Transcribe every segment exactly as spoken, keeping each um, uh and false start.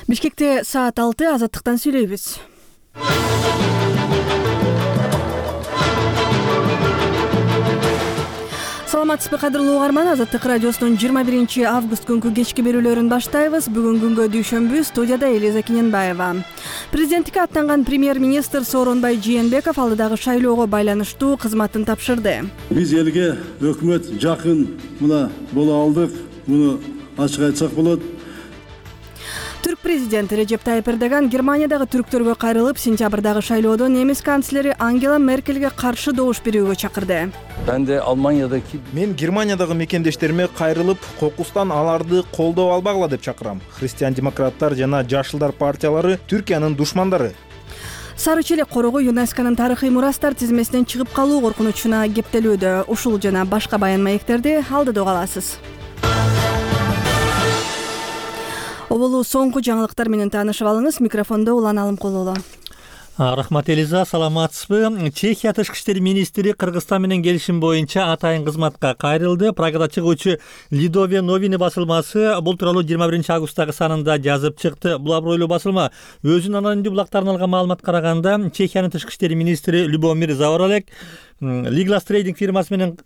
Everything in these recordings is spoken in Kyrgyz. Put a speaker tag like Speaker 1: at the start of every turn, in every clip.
Speaker 1: Бишкекте саат алты, Азаттыктан сүйлөйбүз. Саламатсызбы кадырлуу угарман, Азаттык радиосунун жыйырма биринчи август күнкү кечки берүүлөрүн баштайбыз. Бүгүн күнгө дүйшөмбү, студияда Элиза Кененбаева. Президенттикке аттанган премьер-министр Сооронбай Жээнбеков алдыдагы шайлоого байланыштуу кызматын тапшырды.
Speaker 2: Биз элге өкмөт жакын мына боло алдык, муну ачык айтсак болот.
Speaker 1: Түрк президенти Режеп Тайып Эрдоган Германиядагы түрктөргө кайрылып, сентябрдагы шайлоодо немис канцлери Ангела Меркельге каршы добуш берүүгө чакырды.
Speaker 3: Мен Германиядагы мекендештериме кайрылып, кокустан аларды колдоо албагыла деп чакырам. Христиан-демократтар жана Жашылдар партиялары Түркиянын душмандары.
Speaker 1: Сары челек корогу ЮНЕСКОнун тарыхый мурастар тизмесинен чыгып калуу коркунучуна кептелүүдө. Ушул жана башка баян маектерди алдыда угаласыз. Оболу соңку жаңылыктар менен таанышып алыңыз. Микрофондо Улан Алымкулова.
Speaker 4: Рахмат Элиза, саламатсызбы? Чехия тышкы иштер министри Кыргызстан менен келишим боюнча атайын кызматка кайрылды. Прагада чыгуучу Лидове новини басылмасы бул тууралуу жыйырма биринчи августтагы санында жазып чыкты. Бул абройлуу басылма өзүнүн анонимдүү булактарынан алган маалыматка караганда, Чехиянын тышкы иштер министри Любомир Заоралек Лиглас трейдинг фирмасы менен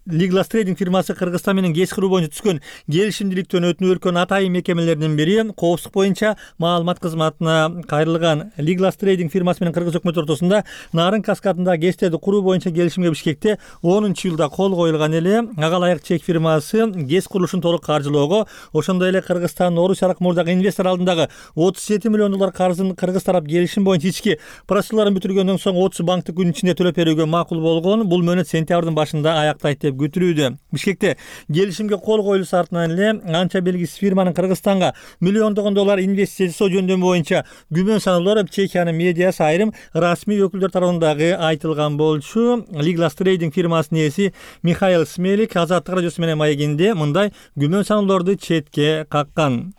Speaker 4: Лиглас трейдинг фирмасы Кыргызстан менен гез куруу боюнча түзгөн келишимдиликтен өтүнүп өлкөнүн атайын мекемелеринин бири коопсуздук боюнча маалымат кызматына кайрылган. Лиглас трейдинг фирмасы менен Кыргыз өкмөтү ортосунда Нарын каскадында ГЭСтерди куруу боюнча келишимге Бишкекте онунчу жылда кол коюлган эле. Ага ылайык чек фирмасы ГЭС курулушун толук каржылоого, ошондой эле Кыргызстан Орус аркы мурдагы инвестор алдындагы отуз жети миллион доллар карызын Кыргыз тарап келишим боюнча ички процедураларын бүтүргөндөн соң отуз банктык күн ичинде төлөп берүүгө макул болгон. Бул мөөнөт сентябрдын башында аяктайт деп күтүлүүдө. Бишкекте келишимге кол коюлуусу артынан эле анча белгисиз фирманын Кыргызстанга миллиондогон доллар инвестиция жасоо жөндөмү боюнча күмөн саноолор Чехиянын медиасы айрым расмий өкүлдөр тарабынан дагы айтылган болчу. Лиглас трейдинг фирмасынын ээси Михаил Смелик Азаттык радиосу менен маегинде мындай күмөн саноолорду четке каккан.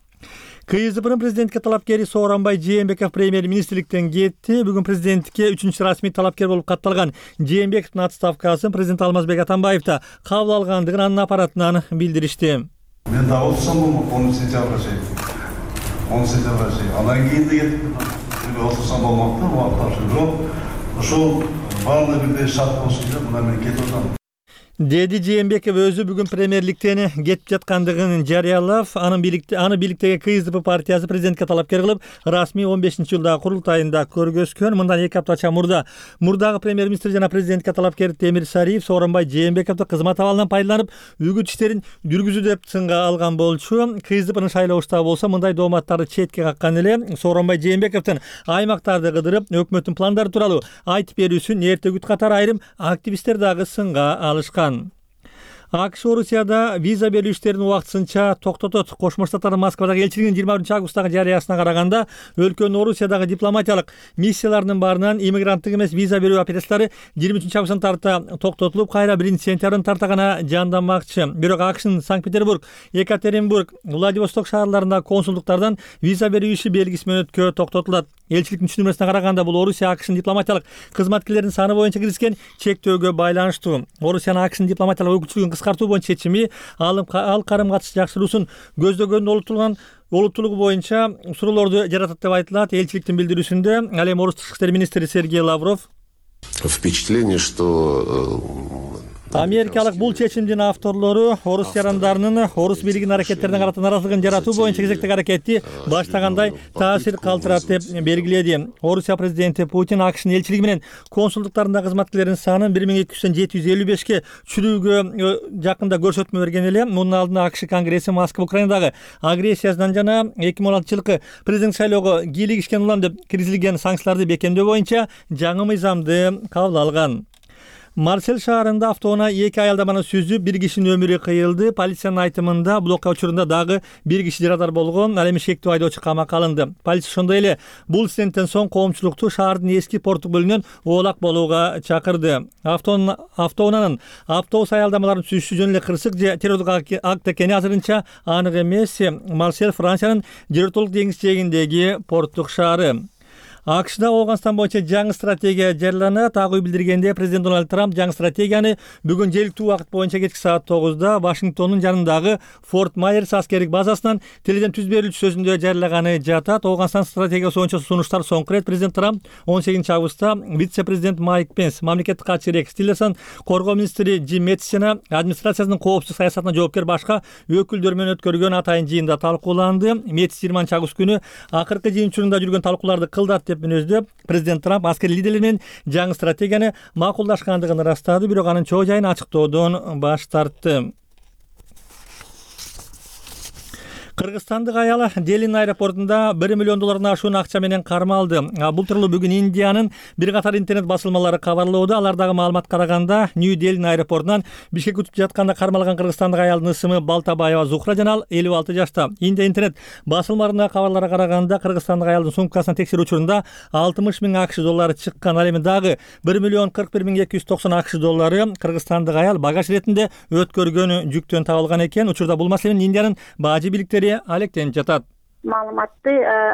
Speaker 4: КСДПнын президенттикке талапкери Сооронбай Жээнбеков премьер-министрликтен кетти. Бүгүн президенттикке үчүнчү расмий талапкер болуп катталган Жээнбековдун отставкасын президент Алмазбек Атамбаев да кабыл алгандыгын анын аппаратынан билдиришти.
Speaker 2: Мен да отурсам болмок, он сентябрга чейин. он сентябрга чейин. Андан кийин да кетип отурсам болмок да, убакыт тапшырып. Ошол баардыгы бирдей шарт болсун деп мына мен кетип атам.
Speaker 4: Деди Жээнбеков өзү бүгүн премьерликтен кетип жаткандыгын жарыялап, анын бийликте аны бийликтеги КСДП партиясы президентке талапкер кылып, расмий он бешинчи жылдагы курултайында көргөзгөн. Мындан эки аптача мурда мурдагы премьер-министр жана президентке талапкер Темир Сариев Сооронбай Жээнбековду кызмат абалынан пайдаланып, үгүт иштерин жүргүзүү деп сынга алган болчу. КСДПнын шайлоо штабы болсо мындай дооматтарды четке каккан эле. Сооронбай Жээнбековдун аймактарды кыдырып, өкмөттүн пландары тууралуу айтып берүүсүн эртегүт катары айрым активисттер дагы сынга алышкан. АКШ Орусияда виза берүү иштерин убактысынча токтотот. Кошмо Штаттардын Москвадагы элчилигинин жыйырма биринчи августтагы жарыясына караганда, өлкөнүн Орусиядагы дипломатиялык миссияларынын баарынан иммигранттык эмес виза берүү операциялары жыйырма үчүнчү августтан тарта токтотулуп, кайра биринчи сентябрдын тарта гана жандамакчы. Бирок АКШнын Санкт-Петербург, Екатеринбург, Владивосток шаарларындагы консулдуктардан виза берүү иши белгисиз мөөнөткө токтотулат. Элчиликтин түшүнмөсүнө караганда, бул Орусия АКШнын дипломатиялык кызматкерлеринин саны боюнча киргизген чектөөгө байланыштуу. Орусиянын АКШнын дипломатиялык өкүлчүлүгүн кыскартуу боюнча чечими ал карым катыш жакшыруусун көздөгөнүн олуттулган олуттуулугу боюнча суроолорду жаратат деп айтылат. Элчиликтин билдирүүсүндө ал эми Орус тышкы иштер министри Сергей Лавров
Speaker 5: впечатление, что
Speaker 4: Америкалык бул чечимдин авторлору орус жарандарынын орус бийлигинин аракеттерине карата наразылыгын жаратуу боюнча кезектеги аракетти баштагандай таасир калтырат деп белгиледи. Орусия президенти Путин АКШнын элчилиги менен консулдуктарындагы кызматкерлердин санын бир миң эки жүздөн жети жүз элүү бешке чүрүүгө жакында көрсөтмө берген эле. Мунун алдында АКШ Конгресси Москва Украинадагы агрессиясынан жана эки миң он алтынчы жылкы президент шайлоого кийлигишкен улам деп киргизилген санкцияларды бекемдөө боюнча жаңы мыйзамды кабыл алган. Марсель шаарында автоунаа эки аялдаманы сүзүп, бир кишинин өмүрү кыйылды. Полициянын айтымында бул окуя учурунда дагы бир киши жарадар болгон. Ал эми шектүү айдоочу камакка алынды. Полиция ошондой эле бул инциденттен соң коомчулукту шаардын эски порттук бөлүгүнөн оолак болууга чакырды. Автоунаанын автобус аялдамаларын сүзүшү жөн эле кырсык же террордук акт экени азырынча анык эмес. Марсель Франциянын Жер өлкөлүк деңиз жээгиндеги порттук шаары. АКШда Ооганстан боюнча жаңы стратегия жарыяланат. Ак үй билдиргенде президент Дональд Трамп жаңы стратегияны бүгүн жергиликтүү убакыт боюнча кечки саат тогузда Вашингтондун жанындагы Форт Майерс аскердик базасынан теледен түз берилүүчү сөзүндө жарыялаганы жатат. Ооганстан стратегиясы боюнча сунуштар соңку ирет президент Трамп он сегизинчи августта вице-президент Майк Пенс, мамлекеттик катчы Рекс Тиллерсон, коргоо министри Джим Мэттис жана администрациясынын коопсуздук саясатына жоопкер башка өкүлдөр менен өткөргөн атайын жыйында талкууланды. Мэттис жыйырманчы август күнү акыркы жыйын учурунда жүргөн талкууларды кылдат деп мүнөздөп, президент Трамп аскер лидерлер менен жаңы стратегияны макулдашкандыгын ырастады, бирок анын чоо жайын ачыктоодон баш тартты. Кыргызстандык аял Делин аэропортунда бир миллион доллардан ашуун акча менен кармалды. Бул тууралуу бүгүн Индиянын бир катар интернет басылмалары кабарлоодо. Алардагы маалыматка караганда, Нью-Делин аэропортунан Бишкекке учуп жатканда кармалган кыргызстандык аялдын ысымы Балтабаева Зухра жана ал элүү алты жашта. Индия интернет басылмаларына кабарларга караганда, кыргызстандык аялдын сумкасына текшерүү учурунда алтымыш миң АКШ доллары чыккан. Ал эми дагы бир миллион кырк бир миң эки жүз токсон АКШ доллары кыргызстандык аял багаж иретинде өткөргөн жүктөн табылган экен. Учурда бул маселе менен Индиянын бажы бийликтери алектенип жатат.
Speaker 6: Маалыматты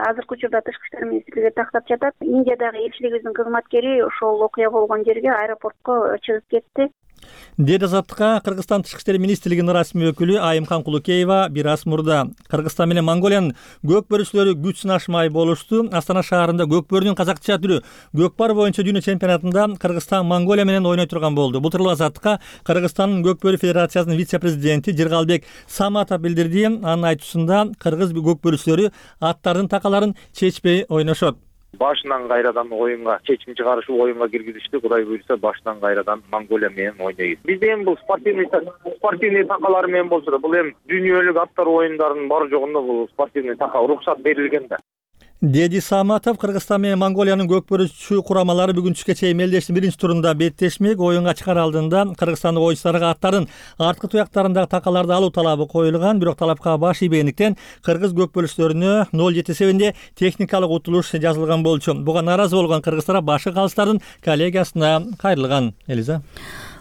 Speaker 6: азыркы учурда Тышкы иштер министрлиги тактап жатат. Индиядагы элчилигибиздин кызматкери ошол окуя болгон жерге, аэропортко чыгып кетти.
Speaker 4: Деди Азаттыкка Кыргызстан Тышкы иштер министрлигинин расмий өкүлү Айымкан Кулукеева бир аз мурда. Кыргызстан менен Монголиянын көк бөрүчүлөрү күч сынашмай болушту. Астана шаарында көк бөрүнүн казакча түрү көкпар боюнча дүйнө чемпионатында Кыргызстан Монголия менен ойной турган болду. Бул тууралуу Азаттыкка Кыргызстандын көк бөрү федерациясынын вице-президенти Жыргалбек Саматов билдирди. Анын айтуусунда кыргыз көк бөрүчүлөрү аттардын такаларын чечпей ойношот.
Speaker 7: Башынан кайрадан оюнга чечим чыгарышып оюнга киргизишти. Кудай буйрса башынан кайрадан Монголия менен ойнойбуз. Бизде эми бул спортивный спортивный такалар менен болсо да, бул эми дүйнөлүк аттар оюндарынын бар жогунда бул спортивный така уруксат берилген да.
Speaker 4: Деди Саматов Кыргызстан менен Монголиянын көк бөрүчү курамалары бүгүн түшкө чейин мелдештин биринчи турунда беттешмек. Оюнга чыгаар алдында кыргызстандык оюнчуларга аттардын арткы туяктарындагы такаларды алуу талабы коюлган, бирок талапка баш ийбегендиктен кыргыз көк бөрүчүлөрүнө ноль жети эсебинде техникалык утулуш жазылган болчу. Буга нааразы болгон кыргыздар башкы калыстардын коллегиясына кайрылган. Элиза.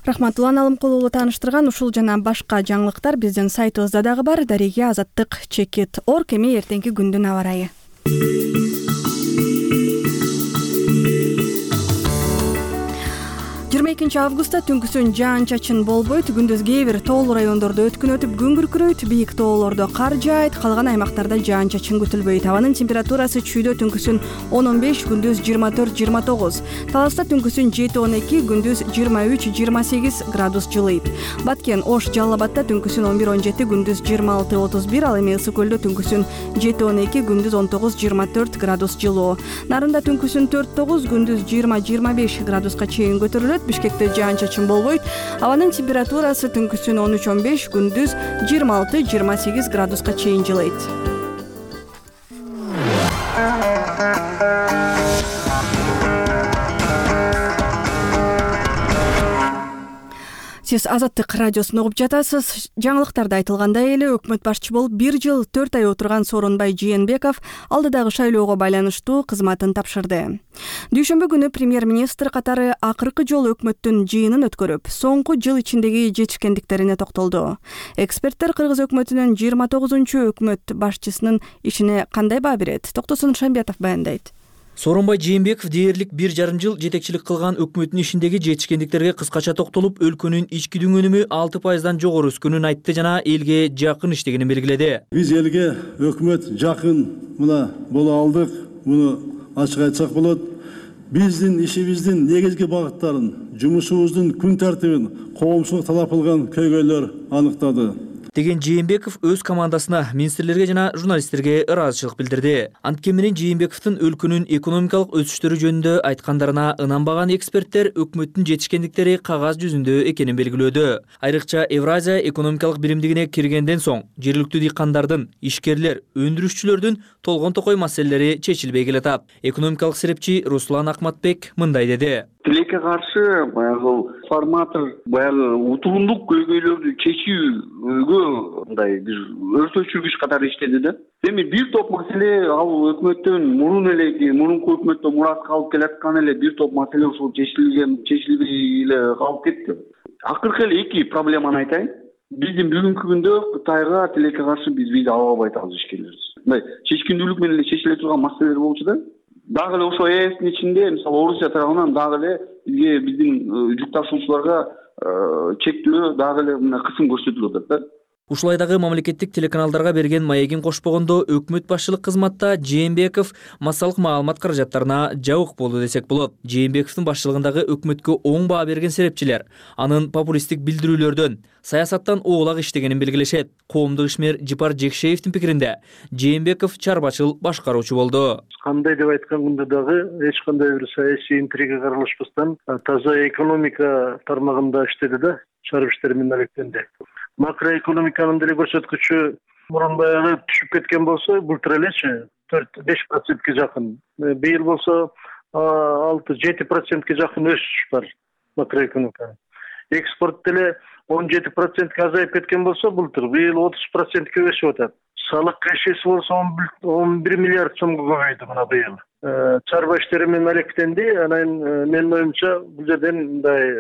Speaker 1: Рахмат, Улан Алымкул уулу тааныштырган ушул жана башка жаңылыктар биздин сайтыбызда дагы бар. Дареге Азаттык чекит орг. Эми эртеңки күндүн аба ырайы. жыйырма экинчи августта түнкүсүн жаан-чачын болбойт. Күндүз кээ бир тоолуу райондордо өткүн өтүп күн күркүрөйт. Бийик тоолордо кар жаайт, калган аймактарда жаан-чачын күтүлбөйт. Абанын температурасы чүйдө түнкүсүн он он беш, күндүз жыйырма төрт жыйырма тогуз. Таласта түнкүсүн жети он эки, күндүз жыйырма үч жыйырма сегиз градус жылыйт. Баткен, Ош, Жалал Абадта түнкүсүн он бир он жети, күндүз жыйырма алты отуз бир. Ал эми Ысык көлдө түнкүсүн жети он эки, күндүз он тогуз жыйырма төрт градус жылуу. Нарында түнкүсүн төрт тогуз, күндүз жыйырма жыйырма беш градуска чейин көтөрүлөт. Бишкекте жаан-чачын болбойт. Абанын температурасы түнкүсүн он үч он беш, күндүз жыйырма алты жыйырма сегиз градуска чейин жылыйт. Сиз Азаттык радиосун угуп жатасыз. Жаңылыктарда айтылгандай эле өкмөт башчы болуп бир жыл төрт ай отурган Сооронбай Жээнбеков алдыдагы шайлоого байланыштуу кызматын тапшырды. Дүйшөмбү күнү премьер-министр катары акыркы жолу өкмөттүн жыйынын өткөрүп, соңку жыл ичиндеги жетишкендиктерине токтолду. Эксперттер кыргыз өкмөтүнүн жыйырма тогузунчу өкмөт башчысынын ишине кандай баа берет? Токтосун Шамбиятов баяндайт.
Speaker 8: Сооронбай Жээнбеков дээрлик бир жарым жыл жетекчилик кылган өкмөттүн ишиндеги жетишкендиктерге кыскача токтолуп, өлкөнүн ички дүңөнүмү алты пайыздан жогору өскөнүн айтты жана элге жакын иштегенин белгиледи.
Speaker 9: Биз элге өкмөт жакын мына боло алдык, муну ачык айтсак болот. Биздин ишибиздин негизги багыттарын, жумушубуздун күн тартибин коомчулук талап кылган көйгөйлөр аныктады
Speaker 8: деген Жээнбеков өз командасына, министрлерге жана журналисттерге ыраазычылык билдирди. Анткени менен Жээнбековдун өлкөнүн экономикалык өсүштөрү жөнүндө айткандарына ынанбаган эксперттер өкмөттүн жетишкендиктери кагаз жүзүндө экенин белгилөөдө. Айрыкча Евразия экономикалык биримдигине киргенден соң жергиликтүү дыйкандардын, ишкерлер, өндүрүшчүлөрдүн толгон токой маселелери чечилбей келатат. Экономикалык серепчи Руслан Акматбек мындай деди.
Speaker 10: Тилекке каршы баягы форматор баягы утурундук көйгөйлөрдү чечүүгө мындай бир өртөчүргүч катары иштеди да. Эми бир топ маселе ал өкмөттөн мурун эле, мурунку өкмөттө мурас калып келаткан эле бир топ маселе ушул чечилген, чечилбей эле калып кетти. Акыркы эле эки проблеманы айтайын. Биздин бүгүнкү күндө Кытайга тилекке каршы биз виза ала албай атабыз ишкерлерибиз. Мындай чечкиндүүлүк менен эле чечиле турган маселелер болчу да. дагы эле ошо ээстин ичинде мисалы Орусия тарабынан дагы эле бизге биздин жүк ташуучуларга чектөө дагы эле мына кысым көрсөтүлүп атат да.
Speaker 8: Ушулай дагы мамлекеттик телеканалдарга берген маегин кошпогондо өкмөт башчылык кызматта Жээнбеков массалык маалымат каражаттарына жабык болду десек болот. Жээнбековдун башчылыгындагы өкмөткө оң баа берген серепчилер анын популисттик билдирүүлөрдөн, саясаттан оолак иштегенин белгилешет. Коомдук ишмер Жипар Жекшеевдин пикиринде Жээнбеков чарбачыл башкаруучу болду.
Speaker 11: Кандай деп айтканда дагы эч кандай бир саясий интрига аралашпастан таза экономика тармагында иштеди да, чарып иштери менен алектенди. Макроэкономиканын деле көрсөткүчү мурун баягы түшүп кеткен болсо, былтыр элечи төрт беш процентке жакын. Быйыл болсо алты жети процентке жакын өсүш бар макроэкономикада. Экспорт деле он жети процентке азайып кеткен болсо, былтыр быйыл отуз процентке өсүп атат. Салык кешеси болсо он бир миллиард сомго көбөйдү мына быйыл. Чарба иштери менен алектенди, анан менин оюмча бул жерден мындай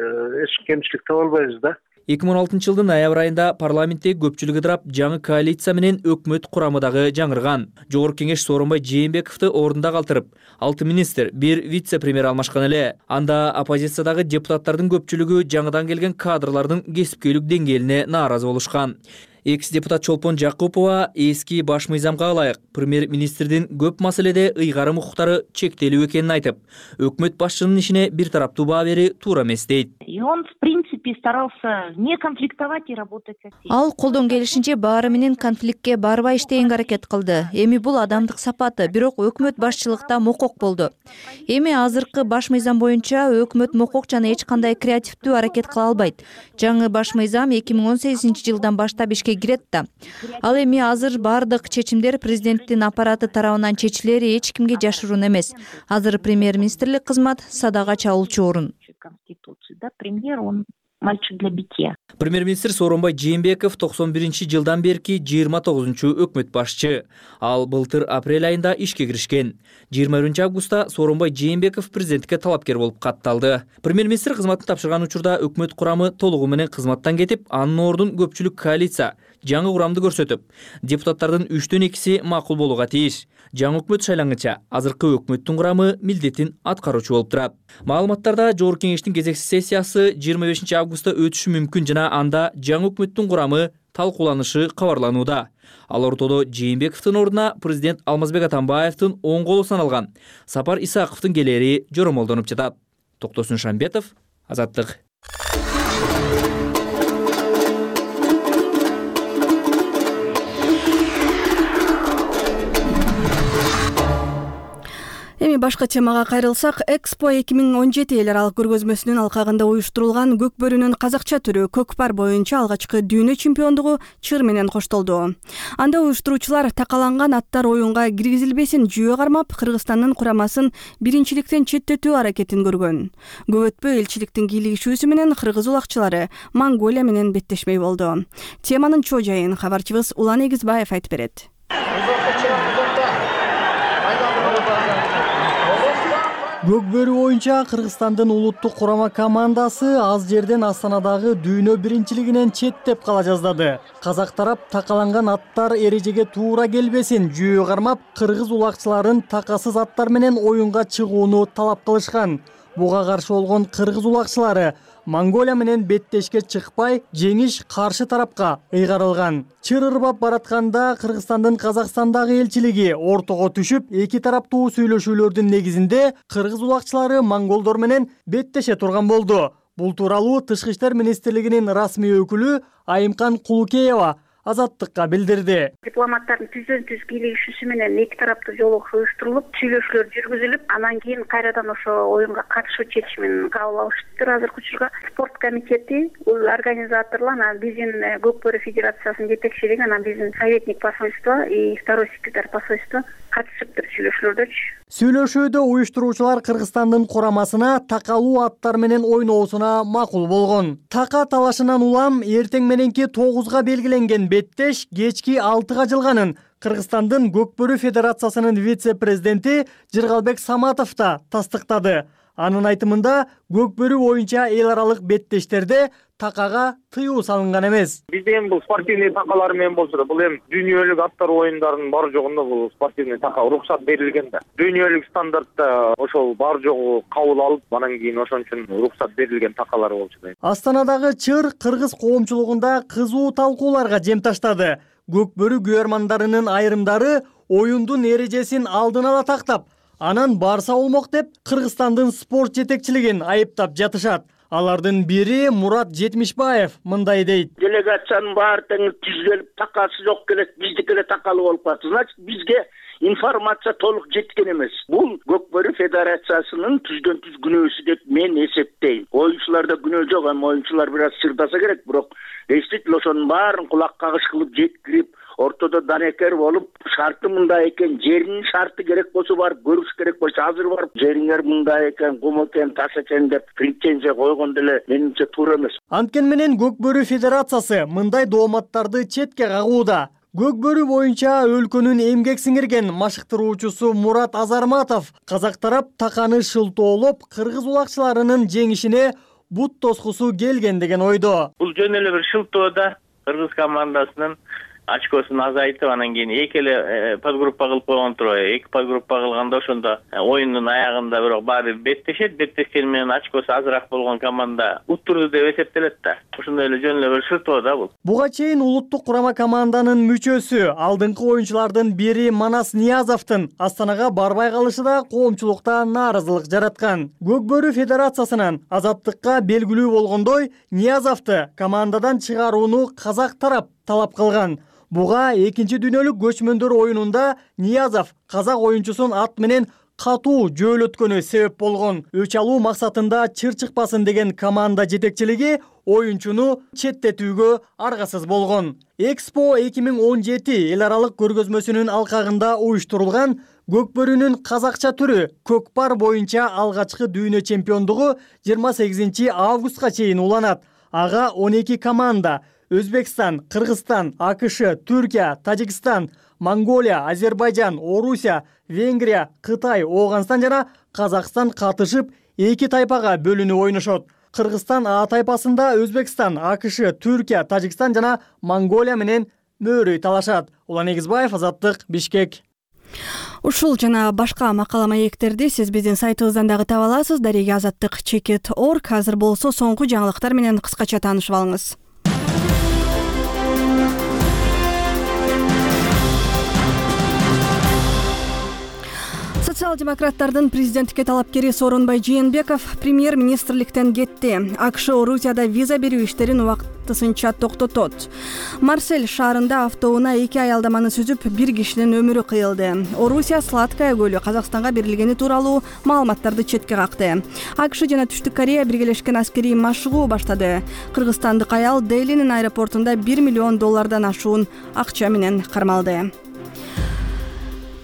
Speaker 11: эч кемчилик таба албайбыз да.
Speaker 8: эки миң он алтынчы жылдын ноябрь айында парламенттеги көпчүлүк ыдырап, жаңы коалиция менен өкмөт курамы дагы жаңырган. Жогорку кеңеш Сооронбай Жээнбековду ордунда калтырып, алты министр, бир вице-премьер алмашкан эле. Анда оппозициядагы депутаттардын көпчүлүгү жаңыдан келген кадрлардын кесипкөйлүк деңгээлине нааразы болушкан. Экс-депутат Чолпон Жакупова эски баш мыйзамга ылайык премьер-министрдин көп маселеде ыйгарым укуктары чектелүү экенин айтып, өкмөт башчынын ишине бир тараптуу баа берүү туура эмес дейт.
Speaker 12: И он в принципе старался не конфликтовать и работать со всеми.
Speaker 13: Ал колдон келишинче баары менен конфликтке барбай иштегенге аракет кылды. Эми бул адамдык сапаты, бирок өкмөт башчылыкта мокок болду. Эми азыркы баш мыйзам боюнча өкмөт мокок жана эч кандай креативдүү аракет кыла албайт. Жаңы баш мыйзам эки миң он сегизинчи жылдан баштап ишке кирет да. Ал эми азыр бардык чечимдер президенттин аппараты тарабынан чечилери эч кимге жашыруун эмес. Азыр премьер-министрлик кызмат садага чалуучу орун.
Speaker 12: Конституции, да, премьер, он мальчик для битья.
Speaker 8: Премьер-министр Сооронбай Жээнбеков токсон биринчи жылдан берки жыйырма тогузунчу өкмөт башчы. Ал былтыр апрель айында ишке киришкен. жыйырма биринчи августта Сооронбай Жээнбеков президентке талапкер болуп катталды. Премьер-министр кызматын тапшырган учурда өкмөт курамы толугу менен кызматтан кетип, анын ордун көпчүлүк коалиция жаңы курамды көрсөтүп, депутаттардын үчтөн экиси макул болууга тийиш. Жаңы өкмөт шайлангыча азыркы өкмөттүн курамы милдетин аткаруучу болуп турат. Маалыматтарда жогорку кеңештин кезексиз сессиясы жыйырма бешинчи августта өтүшү мүмкүн жана анда жаңы өкмөттүн курамы талкууланышы кабарланууда. Ал ортодо Жээнбековдун ордуна президент Алмазбек Атамбаевдин оң колу саналган Сапар Исаковдун келери жоромолдонуп жатат. Токтосун Шамбетов, Азаттык.
Speaker 1: Эми башка темага кайрылсак, Экспо эки миң он жети эл аралык көргөзмөсүнүн алкагында уюштурулган көк бөрүнүн казакча түрү көкпар боюнча алгачкы дүйнө чемпиондугу чыр менен коштолду. Анда уюштуруучулар такаланган аттар оюнга киргизилбесин жүйө кармап, Кыргызстандын курамасын биринчиликтен четтетүү аракетин көргөн. Көп өтпөй элчиликтин кийлигишүүсү менен кыргыз улакчылары Монголия менен беттешмей болду. Теманын чоо жайын кабарчыбыз Улан Эгизбаев айтып берет.
Speaker 14: Көк бөрү боюнча Кыргызстандын улуттук курама командасы аз жерден Астанадагы дүйнө биринчилигинен четтеп кала жаздады. Казак тарап такаланган аттар эрежеге туура келбесин жүйө кармап, кыргыз улакчыларын такасыз аттар менен оюнга чыгууну талап кылышкан. Буга каршы болгон кыргыз улакчылары Монголия менен беттешке чыкпай, жеңиш каршы тарапка ыйгарылган. Чыр ырбап баратканда Кыргызстандын Казакстандагы элчилиги ортого түшүп, эки тараптуу сүйлөшүүлөрдүн негизинде кыргыз улакчылары монголдор менен беттеше турган болду. Бул тууралуу Тышкы иштер министрлигинин расмий өкүлү Айымкан Кулукеева Азаттыкка билдирди.
Speaker 6: Дипломаттардын түздөн түз кийлигишүүсү менен эки тараптуу жолугуш уюштурулуп, сүйлөшүүлөр жүргүзүлүп, анан кийин кайрадан ошо оюнга катышуу чечимин кабыл алышты. Азыркы учурда спорт комитети, организаторлор, анан биздин Көк бөрү федерациясынын жетекчилиги, анан биздин советник посольство и второй секретарь посольства катышыптыр сүйлөшүүлөрдөрчү.
Speaker 14: Сүйлөшүүдө уюштуруучулар Кыргызстандын курамасына такалуу аттар менен ойноосуна макул болгон. Така талашынан улам эртең мененки тогузга белгиленген беттеш кечки алтыга жылганын Кыргызстандын Көк бөрү федерациясынын вице-президенти Жыргалбек Саматов да тастыктады. Анын айтымында көкбөрү боюнча эл аралык беттештерде такага тыюу салынган эмес.
Speaker 7: Бизде эми бул спортивный такалар менен болсо да, бул эми дүйнөлүк аттар оюндарынын бар жогунда бул спортивный така уруксат берилген да. Дүйнөлүк стандартта ошол бар жогу кабыл алып, анан кийин ошон үчүн уруксат берилген такалар болчу да.
Speaker 14: Астанадагы чыр кыргыз коомчулугунда кызуу талкууларга жем таштады. Көкбөрү күйөрмандарынын айрымдары оюндун эрежесин алдын ала тактап, анан барса болмок деп Кыргызстандын спорт жетекчилигин айыптап жатышат. Алардын бири Мурат Жетимишбаев мындай дейт.
Speaker 15: Делегациянын баары тең түзүлүп, такасы жок келет, биздики эле такалуу болуп калды. Значит, бизге информация толук жеткен эмес. Бул Көкбөрү федерациясынын түздөн түз күнөөсү деп мен эсептейм. Оюнчуларда күнөө жок, эми оюнчулар бир аз чырдаса керек, бирок действительно ошонун баарын кулак кагыш кылып жеткирип, ортодо данекер болуп, шарты мындай экен, жеринин шарты керек болсо барып көрүш керек болчу, азыр барып жериңер мындай экен, кум экен, таш экен деп претензия койгон деле менимче туура эмес.
Speaker 14: Анткени менен Көкбөрү федерациясы мындай дооматтарды четке кагууда. Көкбөрү боюнча өлкөнүн эмгек сиңирген машыктыруучусу Мурат Азарматов казак тарап таканы шылтоолоп, кыргыз улакчыларынын жеңишине бут тоскусу келген деген ойдо.
Speaker 16: Бул жөн эле бир шылтоо да, кыргыз командасынын очкосун азайтып, анан кийин эки эле подгруппа кылып койгон турбайбы. Эки подгруппа кылганда ошондо оюндун аягында бирок баары беттешет, беттешкени менен очкосу азыраак болгон команда уттурду деп эсептелет да. Ошондой эле жөн эле бир шылтоо да бул.
Speaker 14: Буга чейин улуттук курама команданын мүчөсү, алдыңкы оюнчулардын бири Манас Ниязовдун Астанага барбай калышы да коомчулукта нааразылык жараткан. Көкбөрү федерациясынан азаттыкка белгилүү болгондой, Ниязовду командадан чыгарууну казак тарап талап кылган. Буга экинчи дүйнөлүк көчмөндөр оюнунда Ниязов казак оюнчусун ат менен катуу жөөлөткөнү себеп болгон. Өч алуу максатында чыр чыкпасын деген команда жетекчилиги оюнчуну четтетүүгө аргасыз болгон. Экспо эки миң он жети эл аралык көргөзмөсүнүн алкагында уюштурулган Көкбөрүнүн казакча түрү көкпар боюнча алгачкы дүйнө чемпиондугу жыйырма сегизинчи августка чейин уланат. Ага он эки команда Өзбекстан, Кыргызстан, АКШ, Түркия, Тажикстан, Монголия, Азербайжан, Орусия, Венгрия, Кытай, Ооганстан жана Казакстан катышып, эки тайпага бөлүнүп ойношот. Кыргызстан А тайпасында Өзбекстан, АКШ, Түркия, Тажикстан жана Монголия менен мөөрөй талашат. Улан Эгизбаев, Азаттык, Бишкек.
Speaker 1: Ушул жана башка макала маектерди сиз биздин сайтыбыздан дагы таба аласыз. Дареги азаттык чекит точка орг. Азыр болсо соңку жаңылыктар менен кыскача таанышып алыңыз. Социал-демократтардын президенттикке талапкери Сооронбай Жээнбеков премьер-министрликтен кетти. АКШ Орусияда виза берүү иштерин убактысынча токтотот. Марсель шаарында автоунаа эки аялдаманы сүзүп, бир кишинин өмүрү кыйылды. Орусия Сладкая көлү Казакстанга берилгени тууралуу маалыматтарды четке какты. АКШ жана Түштүк Корея биргелешкен аскерий машыгуу баштады. Кыргызстандык аял Делинин аэропортунда бир миллион доллардан ашуун акча менен кармалды.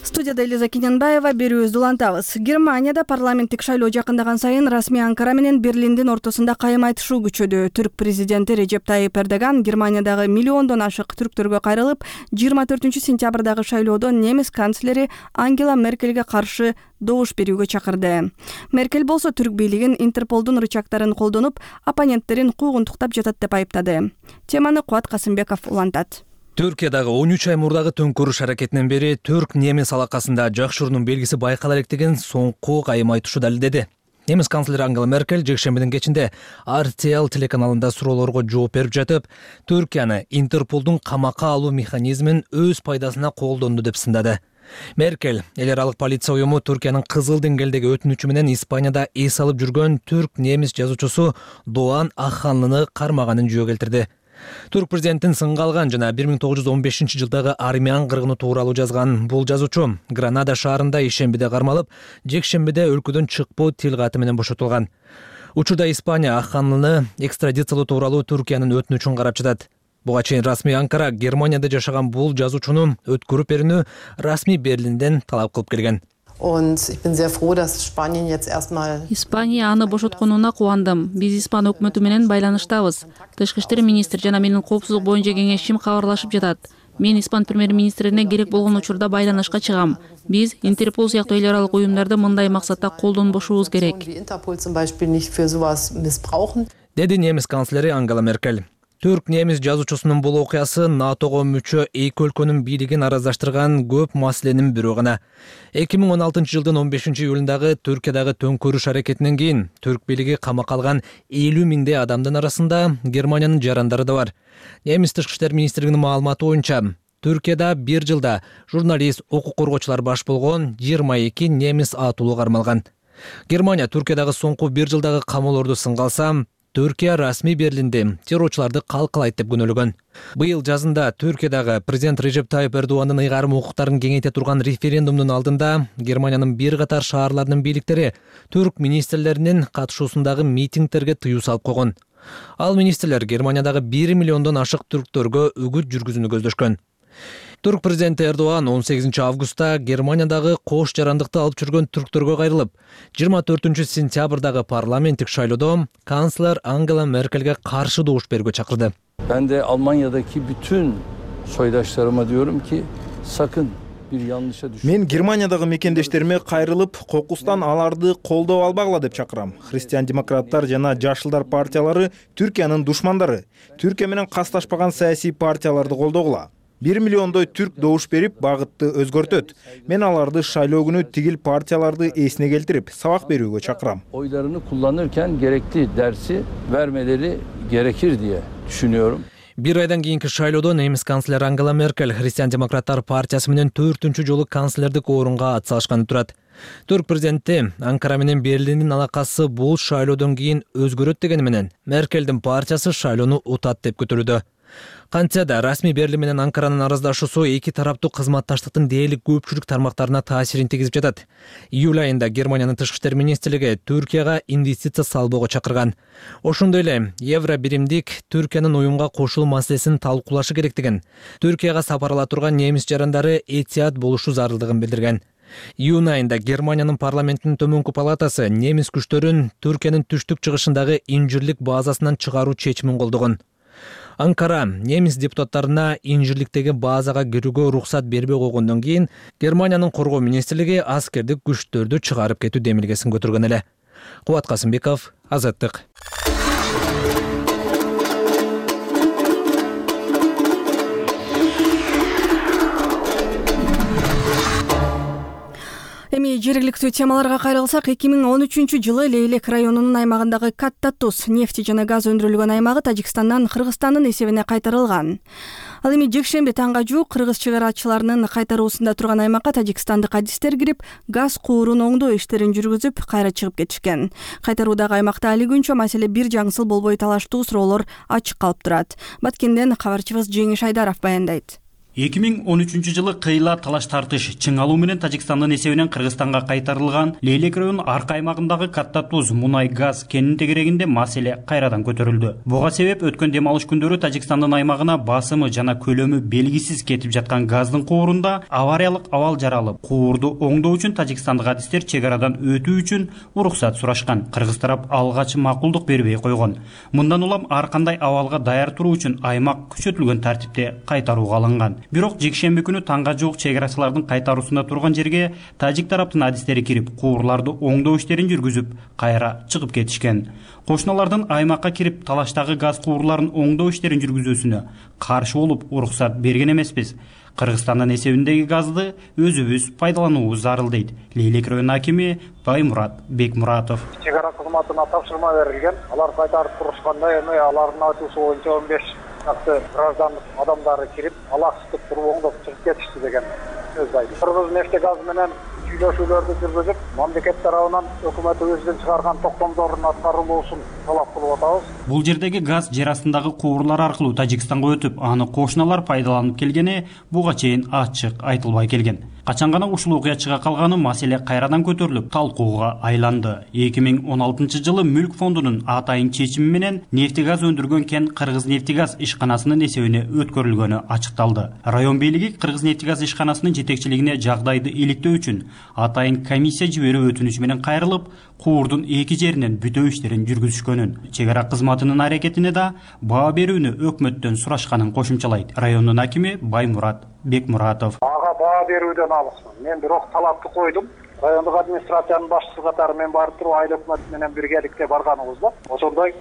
Speaker 1: Студияда Элиза Кененбаева, берүүбүздү улантабыз. Германияда парламенттик шайлоо жакындаган сайын расмий Анкара менен Берлиндин ортосунда кайым айтышуу күчөдү. Түрк президенти Режеп Тайип Эрдоган Германиядагы миллиондон ашык түрктөргө кайрылып, жыйырма төртүнчү сентябрдагы шайлоодо немис канцлери Ангела Меркельге каршы добуш берүүгө чакырды. Меркель болсо түрк бийлигин Интерполдун рычагтарын колдонуп, оппоненттерин куугунтуктап жатат деп айыптады. Теманы Кубат Касымбеков улантат.
Speaker 17: Түркиядагы он үч ай мурдагы төңкөрүш аракетинен бери түрк-немис алакасында жакшыруунун белгиси байкала элек деген соңку кайым айтышуу далилдеди. Немис канцлери Ангела Меркель жекшембидин кечинде эр тэ эл телеканалында суроолорго жооп берип жатып, Түркияны Интерполдун камакка алуу механизмин өз пайдасына колдонду деп сындады. Меркель эл аралык полиция уюму Түркиянын кызыл деңгээлдеги өтүнүчү менен Испанияда эс алып жүргөн түрк-немис жазуучусу Doğan Akhanlıны кармаганын жөө келтирди. Түрк президентин сынга алган жана бир миң тогуз жүз он бешинчи жылдагы армян кыргыны тууралуу жазган бул жазуучу Гранада шаарында ишембиде кармалып, жекшембиде өлкөдөн чыкпоо тил каты менен бошотулган. Учурда Испания Акханлыны экстрадициялоо тууралуу Түркиянын өтүнүчүн карап жатат. Буга чейин расмий Анкара Германияда жашаган бул жазуучуну өткөрүп берүүнү расмий Берлинден талап кылып келген.
Speaker 18: Испания аны бошотконуна кубандым. Биз Испан өкмөтү менен байланыштабыз. Тышкы иштер министри жана менин коопсуздук боюнча кеңешчим кабарлашып жатат. Мен Испан премьер-министрине керек болгон учурда байланышка чыгам. Биз Интерпол сыяктуу эл аралык уюмдарды мындай максатта колдонбошубуз керек,
Speaker 17: деди немис канцлери Ангела Меркель. Түрк немис жазуучусунун бул окуясы натого мүчө эки өлкөнүн бийлигин араздаштырган көп маселенин бирөө гана. эки миң он алтынчы жылдын он бешинчи июлундагы Түркиядагы төңкөрүш аракетинен кийин түрк бийлиги камакка алган элүү миңдей адамдын арасында Германиянын жарандары да бар. Немис тышкы иштер министрлигинин маалыматы боюнча, Түркияда бир жылда журналист, укук коргоочулар баш болгон жыйырма эки немис атуулу кармалган. Германия Түркиядагы соңку бир жылдагы камоолорду сынга алса, Түркия расмий Берлинде террорчуларды калкалайт деп күнөөлөгөн. Быйыл жазында Түркиядагы президент Режеп Тайып Эрдоғандын ыйгарым укуктарын кеңейте турган референдумдун алдында Германиянын бир катар шаарларынын бийликтери түрк министрлеринин катышуусундагы митингтерге тыюу салып койгон. Ал министрлер Германиядагы бир миллиондон ашык түрктөргө үгүт жүргүзүүнү көздөшкөн. Түрк президенти Эрдоған он сегизинчи августта Германиядагы кош жарандыкты алып жүргөн түрктөргө кайрылып, жыйырма төртүнчү сентябрдагы парламенттик шайлоодо канцлер Ангела Меркельге каршы добуш берүүгө чакырды.
Speaker 19: Ben de Almanya'daki bütün soydaşlarıma diyorum ki sakın bir yanlışa düşün.
Speaker 3: Мен Германиядагы мекендештериме кайрылып, кокустан аларды колдоо албагыла деп чакырам. Христиан-демократтар жана Жашылдар партиялары Түркиянын душмандары. Түркия менен касташпаган саясий партияларды колдогула. бир миллиондой түрк добуш берип, багытты өзгөртөт. Мен аларды шайлоо күнү тигил партияларды эсине келтирип, сабак берүүгө чакырам.
Speaker 19: Oylarını kullanırken gerekli dersi vermeleri gerekir diye düşünüyorum.
Speaker 17: Bir aydan kийинки шайлоодо немис канцлер Ангела Меркель Христиан-демократтар партиясы менен төртүнчү жолу канцлердик орунга ат салышканы турат. Түрк президенти Анкара менен Берлиндин алакасы бул шайлоодон кийин өзгөрөт дегени менен Меркелдин партиясы шайлоону утат деп күтүлүүдө. Кантсе да расмий Берлин менен Анкаранын араздашуусу эки тараптуу кызматташтыктын дээрлик көпчүлүк тармактарына таасирин тийгизип жатат. Июль айында Германиянын тышкы иштер министрлиги Түркияга инвестиция салбоого чакырган. Ошондой эле евро биримдик Түркиянын уюмга кошулуу маселесин талкуулашы керектигин, Түркияга сапар ала турган немис жарандары этият болушу зарылдыгын билдирген. Июнь айында Германиянын парламентинин төмөнкү палатасы немис күчтөрүн Түркиянын түштүк чыгышындагы инжирлик базасынан чыгаруу чечимин колдогон. Анкара немис депутаттарына инжирликтеги базага кирүүгө уруксат бербей койгондон кийин Германиянын коргоо министрлиги аскердик күчтөрдү чыгарып кетүү демилгесин көтөргөн эле. Кубат Касымбеков, Азаттык.
Speaker 1: Эми жергиликтүү темаларга кайрылсак, эки миң он үчүнчү жылы Лейлек районунун аймагындагы Катта Туз нефти жана газ өндүрүлгөн аймагы Тажикстандан Кыргызстандын эсебине кайтарылган. Ал эми жекшемби таңга жуук кыргыз чек арачыларынын кайтаруусунда турган аймакка тажикстандык адистер кирип, газ куурун оңдоо иштерин жүргүзүп, кайра чыгып кетишкен. Кайтаруудагы аймакта али күнчө маселе бир жаңсыл болбой талаштуу суроолор ачык калып турат. Баткенден кабарчыбыз Жеңиш Айдаров баяндайт.
Speaker 20: эки миң он үчүнчү жылы кыйла талаш тартыш чың алуу менен Тажикстандын эсебинен Кыргызстанга кайтарылган Лейлек районунун арка аймагындагы Катта Туз мунай газ кенинин тегерегинде маселе кайрадан көтөрүлдү. Буга себеп өткөн дем алыш күндөрү Тажикстандын аймагына басымы жана көлөмү белгисиз кетип жаткан газдын куурунда авариялык абал жаралып, куурду оңдоо үчүн тажикстандык адистер чек арадан өтүү үчүн уруксат сурашкан. Кыргыз тарап алгач макулдук бербей койгон. Мындан улам ар кандай абалга даяр туруу үчүн аймак күчөтүлгөн тартипте кайтарууга алынган. Бирок жекшемби күнү таңга жуук чек арачылардын кайтаруусунда турган жерге тажик тараптын адистери кирип, куурларды оңдоо иштерин жүргүзүп, кайра чыгып кетишкен. Кошуналардын аймакка кирип, талаштагы газ куурларын оңдоо иштерин жүргүзүүсүнө каршы болуп, уруксат берген эмеспиз. Кыргызстандын эсебиндеги газды өзүбүз пайдалануубуз зарыл дейт Лейлек районунун акими Баймурат Бекмуратов.
Speaker 21: Чек ара кызматына тапшырма берилген. Алар кайтарып турушканда эми алардын айтуусу боюнча он беш чакты граждандык адамдары кирип, алаксытып туруп оңдоп чыгып кетишти деген сөз айтты. Кыргыз нефти газ менен сүйлөшүүлөрдү жүргүзүп, мамлекет тарабынан өкмөт өзүнүн чыгарган токтомдордун аткарылуусун талап кылып атабыз.
Speaker 20: Бул жердеги газ жер астындагы куурлар аркылуу Тажикстанга өтүп, аны кошуналар пайдаланып келгени буга чейин ачык айтылбай келген. Качан гана ушул окуя чыга калганы маселе кайрадан көтөрүлүп талкууга айланды. эки миң он алтынчы жылы Мүлк фондунун атайын чечими менен нефти газ өндүргөн кен Кыргыз нефтигаз ишканасынын эсебине өткөрүлгөнү ачыкталды. Район бийлиги Кыргыз нефтигаз ишканасынын жетекчилигине жагдайды иликтөө үчүн атайын комиссия жиберүү өтүнүчү менен кайрылып, куурдун эки жеринен бүтөө иштерин жүргүзүшкөнүн, чек ара кызматынын аракетине да баа берүүнү өкмөттөн сурашканын кошумчалайт райондун акими Баймурат Бекмуратов.
Speaker 21: Ага баа берүүдөн алысмын. Мен бирок талапты койдум. Райондук администрациянын башчысы катары мен барып туруп айыл өкмөтү менен биргеликте барганыбызда ошондой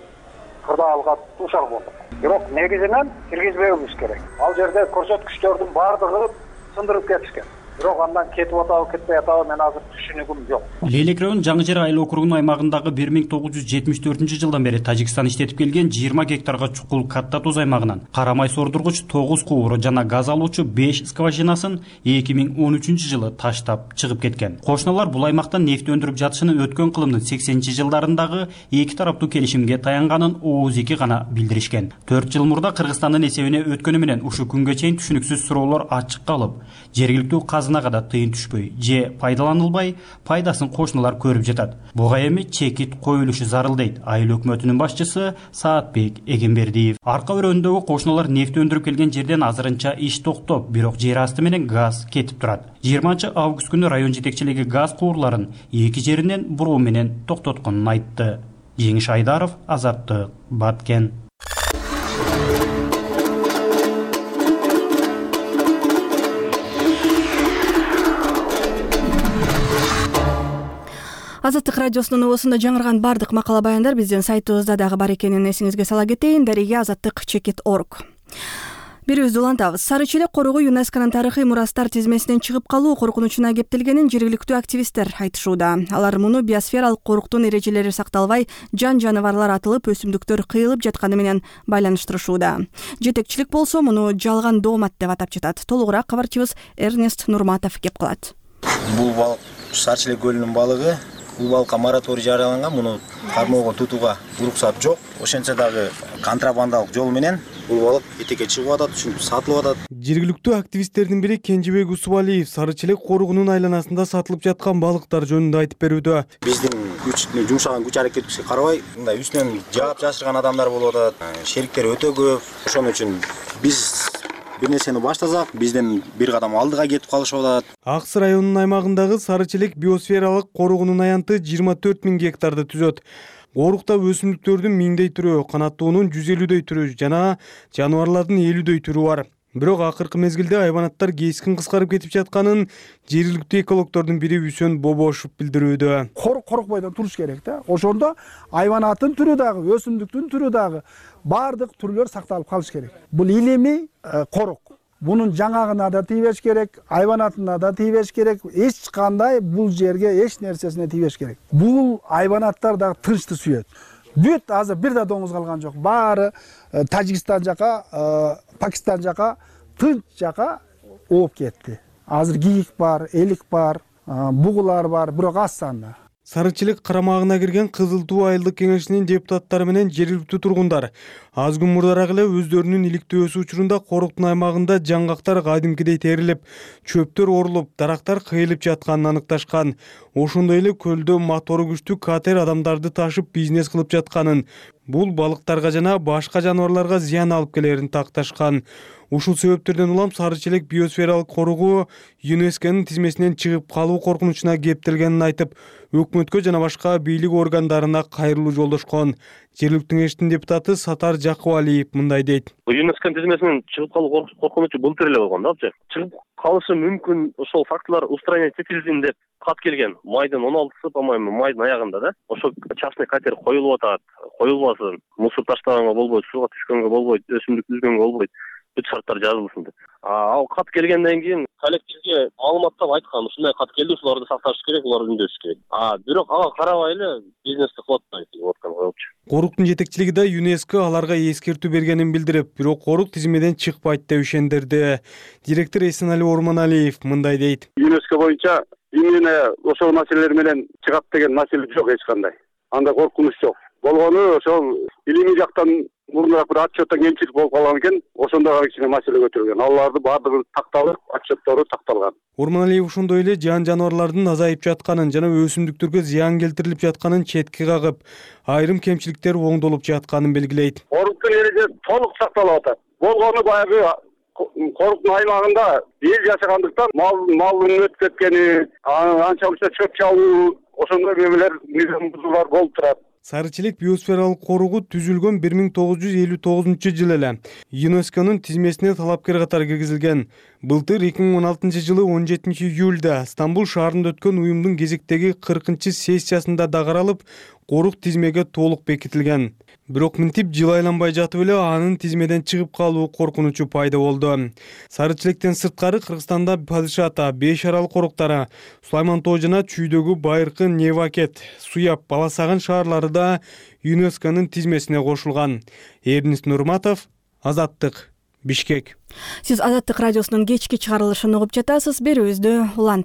Speaker 21: кырдаалга дуушар болдук. Бирок негизинен киргизбеүүбүз керек. Ал жерде көрсөткүчтөрдүн баардыгы сындырып кетишкен. Бирок андан кетип атабы, кетпей атабы мен азыр түшүнүгүм жок.
Speaker 20: Лейлек район Жаңы Жер айыл округунун аймагындагы бир миң тогуз жүз жетимиш төртүнчү жылдан бери Тажикстан иштетип келген жыйырма гектарга чукул катта туз аймагынан карамай сордургуч тогуз кууру жана газ алуучу беш скважинасын эки миң он үчүнчү жылы таштап чыгып кеткен. Кошуналар бул аймактан нефти өндүрүп жатышынын өткөн кылымдын сексенинчи жылдарындагы эки тараптуу келишимге таянганын ооз эки гана билдиришкен. төрт жыл мурда Кыргызстандын эсебине өткөнү менен ушул күнгө чейин түшүнүксүз суроолор ачык калып, жергиликтүү казынага да тыйын түшпөй же пайдаланылбай, пайдасын кошуналар көрүп жатат. Буга эми чекит коюлушу зарыл дейт айыл өкмөтүнүн башчысы Саатбек Эгембердиев. Арка өрөөндөгү кошуналар нефти өндүрүп келген жерден азырынча иш токтоп, бирок жер асты менен газ кетип турат. жыйырманчы август күнү район жетекчилиги газ куурларын эки жеринен буруу менен токтотконун айтты. Жеңиш Айдаров, Азаттык, Баткен.
Speaker 1: Азаттык радиосунун оосунда жаңырган бардык макала баяндар биздин сайтыбызда дагы бар экенин эсиңизге сала кетейин. Дареге азаттык чекит точка орг. Бирибизди улантабыз. Сары челек корогу ЮНЕСКОнун тарыхый мурастар тизмесинен чыгып калуу коркунучуна кептелгенин жергиликтүү активисттер айтышууда. Алар муну биосфералык коруктун эрежелери сакталбай, жан жаныбарлар атылып, өсүмдүктөр кыйылып жатканы менен байланыштырышууда. Жетекчилик болсо муну жалган доомат деп атап жатат. Толугураак кабарчыбыз Эрнест Нурматов кеп калат.
Speaker 2: Бул балык Сары челек көлүнүн балыгы. Бул балыкка мораторий жарыяланган, муну кармоого тутууга уруксат жок. Ошентсе дагы контрабандалык жол менен бул балык этекке чыгып атат, ушинтип сатылып атат.
Speaker 3: Жергиликтүү активисттердин бири Кенжебек Усубалиев Сары челек коругунун айланасында сатылып жаткан балыктар жөнүндө айтып берүүдө.
Speaker 2: Биздин күч жумшаган күч аракетибизге карабай, мындай үстүнөн жаап жашырган адамдар болуп атат. Шериктер өтө көп. Ошон үчүн биз бир нерсени баштасак, бизден бир кадам алдыга кетип калышып атат.
Speaker 3: Аксы районунун аймагындагы Сары челек биосфералык коругунун аянты жыйырма төрт миң гектарды түзөт. Корукта өсүмдүктөрдүн миңдей түрү, канаттуунун жүз элүүдөй түрү жана жаныбарлардын элүүдөй түрү бар. Бирок акыркы мезгилде айбанаттар кескин кыскарып кетип жатканын жергиликтүү экологдордун бири Үсөн Бобошев билдирүүдө.
Speaker 22: Корук корукпайдан туруш керек да. Ошондо айбанаттын түрү дагы, өсүмдүктүн түрү дагы бардык түрлөр сакталып калыш керек. Бул илимий корук. Бунун жаңагына да тийбеш керек, айбанатына да тийбеш керек, эч кандай бул жерге эч нерсесине тийбеш керек. Бул айбанаттар дагы тынчты сүйөт. Бүт азыр бир да доңуз калган жок. Баары Тажикстан жака, Пакистан жака, тынч жака ооп кетти. Азыр кийик бар, элик бар, бугулар бар, бирок аз санда.
Speaker 3: Сары челек карамагына кирген Кызыл Туу айылдык кеңешинин депутаттары менен жергиликтүү тургундар аз күн мурдараак эле өздөрүнүн иликтөөсү учурунда коруктун аймагында жаңгактар кадимкидей терилип, чөптөр орулуп, дарактар кыйылып жатканын аныкташкан. Ошондой эле көлдө мотору күчтүү катер адамдарды ташып бизнес кылып жатканын, бул балыктарга жана башка жаныбарларга зыян алып келерин такташкан. Ушул себептерден улам Сары челек биосфералык коругу ЮНЕСКонун тизмесинен чыгып калуу коркунучуна кептелгенин айтып, өкмөткө жана башка бийлик органдарына кайрылуу жолдошкон. Жергиликтүү кеңештин депутаты Сатар Жакыбалиев мындай дейт.
Speaker 23: ЮНЕСКонун тизмесинен чыгып калуу коркунучу былтыр эле болгон да. Чыгып калышы мүмкүн, ошол фактылар устранять этилсин деп кат келген. Майдын он алтысы, по-моему, майдын аягында да. Ошо частный катер коюлуп атат, коюлбасын, мусор таштаганга болбойт, сууга түшкөнгө болбойт, өсүмдүк үзгөнгө болбойт. Бүт шарттар жазылсын деп. Ал кат келгенден кийин коллективге маалыматтап айткан, ушундай кат келди, ушуларды сакташ керек, уларды үндөш керек. А бирок ага карабай эле бизнести кылып атпайт деп аткан коелчу.
Speaker 3: Коруктун жетекчилиги да ЮНЕСКо аларга эскертүү бергенин билдирип, бирок корук тизимеден чыкпайт деп ишендирди. Директор Эсенали Орманалиев мындай дейт.
Speaker 24: ЮНЕСКо боюнча именно ошол маселелер менен чыгат деген маселе жок эч кандай. Анда коркунуч жок.
Speaker 4: болгону ошол илимий жактан мурунураак бир отчеттон кемчилик болуп калган экен, ошондо гана кичине маселе көтөрүлгөн. Аларды баардыгы такталып, отчеттору такталган.
Speaker 5: Урманалиев ошондой эле жан жаныбарлардын азайып жатканын жана өсүмдүктөргө зыян келтирилип жатканын четке кагып, айрым кемчиликтер оңдолуп жатканын белгилейт.
Speaker 4: Коруктун эрежеси толук сакталып атат. Болгону баягы коруктун аймагында эл жашагандыктан мал малдын өтүп кеткени, анча мынча чөп чабуу, ошондой мемелер низам бузуулар болуп турат.
Speaker 5: Сарычелек биосфералык коругу түзүлгөн бир миң тогуз жүз элүү тогузунчу жылы эле ЮНЕСКОнун тизмесине талапкер катары киргизилген. Былтыр эки миң он алтынчы жылы он жетинчи июлда Стамбул шаарында өткөн уюмдун кезектеги кыркынчы сессиясында да каралып, корук тизмеге толук бекитилген. Бирок мынтип жыл айланбай жатып эле анын тизмеден чыгып калуу коркунучу пайда болду. Сарычелектен сырткары Кыргызстанда Падыш ата, Беш арал коруктары, Сулайман тоо жана Чүйдөгү Байыркы, Невакет, Суяп, Баласагын шаарлары да ЮНЕСКонун тизмесине кошулган. Эрнис Нурматов, Азаттык, Бишкек.
Speaker 1: Сиз Азаттык радиосунун кечки чыгарылышын угуп жатасыз. Берүүбүздү улантып